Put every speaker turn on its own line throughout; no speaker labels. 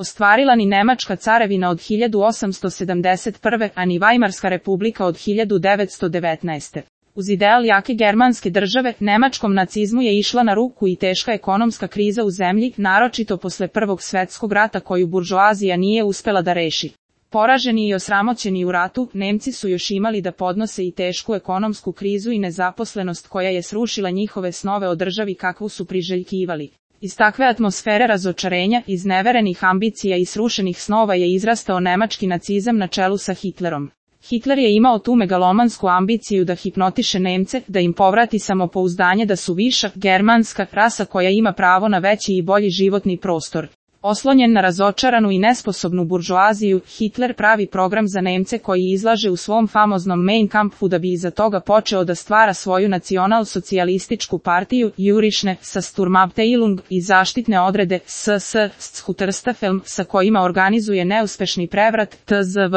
ostvarila ni Nemačka carevina od 1871. a ni Vajmarska republika od 1919. Uz ideal jake germanske države, nemačkom nacizmu je išla na ruku i teška ekonomska kriza u zemlji, naročito posle Prvog svetskog rata koju buržoazija nije uspela da reši. Poraženi i osramoćeni u ratu, Nemci su još imali da podnose i tešku ekonomsku krizu i nezaposlenost koja je srušila njihove snove o državi kakvu su priželjkivali. Iz takve atmosfere razočarenja, izneverenih ambicija i srušenih snova je izrastao nemački nacizam na čelu sa Hitlerom. Hitler je imao tu megalomansku ambiciju da hipnotiše Nemce, da im povrati samopouzdanje da su viša, germanska rasa koja ima pravo na veći i bolji životni prostor. Oslonjen na razočaranu i nesposobnu buržoaziju, Hitler pravi program za Nemce koji izlaže u svom famoznom Mein Kampfu da bi iza toga počeo da stvara svoju nacional-socijalističku partiju, jurišne, sa Sturmabteilung i zaštitne odrede, SS, Schutzstaffel, sa kojima organizuje neuspešni prevrat, TZV.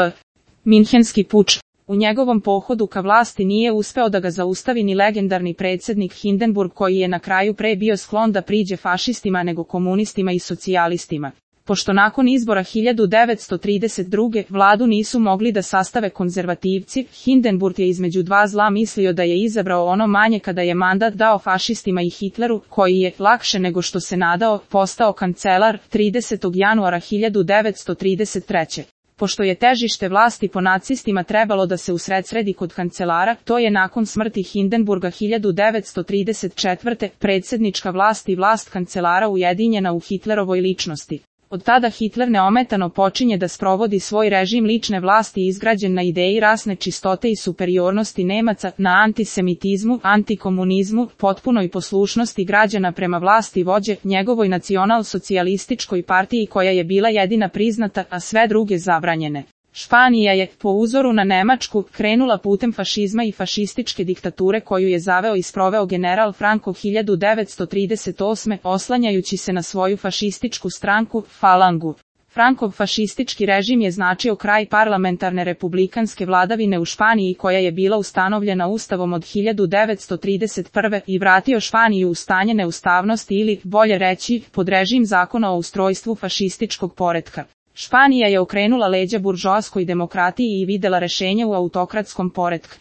Minhenski puč. U njegovom pohodu ka vlasti nije uspeo da ga zaustavi ni legendarni predsjednik Hindenburg koji je na kraju pre bio sklon da priđe fašistima nego komunistima i socijalistima. Pošto nakon izbora 1932. vladu nisu mogli da sastave konzervativci, Hindenburg je između dva zla mislio da je izabrao ono manje kada je mandat dao fašistima i Hitleru, koji je, lakše nego što se nadao, postao kancelar 30. januara 1933. Pošto je težište vlasti po nacistima trebalo da se usredsredi kod kancelara, to je nakon smrti Hindenburga 1934. predsjednička vlast i vlast kancelara ujedinjena u Hitlerovoj ličnosti. Od tada Hitler neometano počinje da sprovodi svoj režim lične vlasti izgrađen na ideji rasne čistote i superiornosti Nemaca, na antisemitizmu, antikomunizmu, potpunoj poslušnosti građana prema vlasti vođe, njegovoj nacional-socijalističkoj partiji koja je bila jedina priznata, a sve druge zabranjene. Španija je, po uzoru na Nemačku, krenula putem fašizma i fašističke diktature koju je zaveo i sproveo general Franco 1938. oslanjajući se na svoju fašističku stranku, Falangu. Frankov fašistički režim je značio kraj parlamentarne republikanske vladavine u Španiji koja je bila ustanovljena Ustavom od 1931. i vratio Španiju u stanje neustavnosti ili, bolje reći, pod režim zakona o ustrojstvu fašističkog poretka. Španija je okrenula leđa buržoaskoj demokratiji i videla rešenje u autokratskom poretku.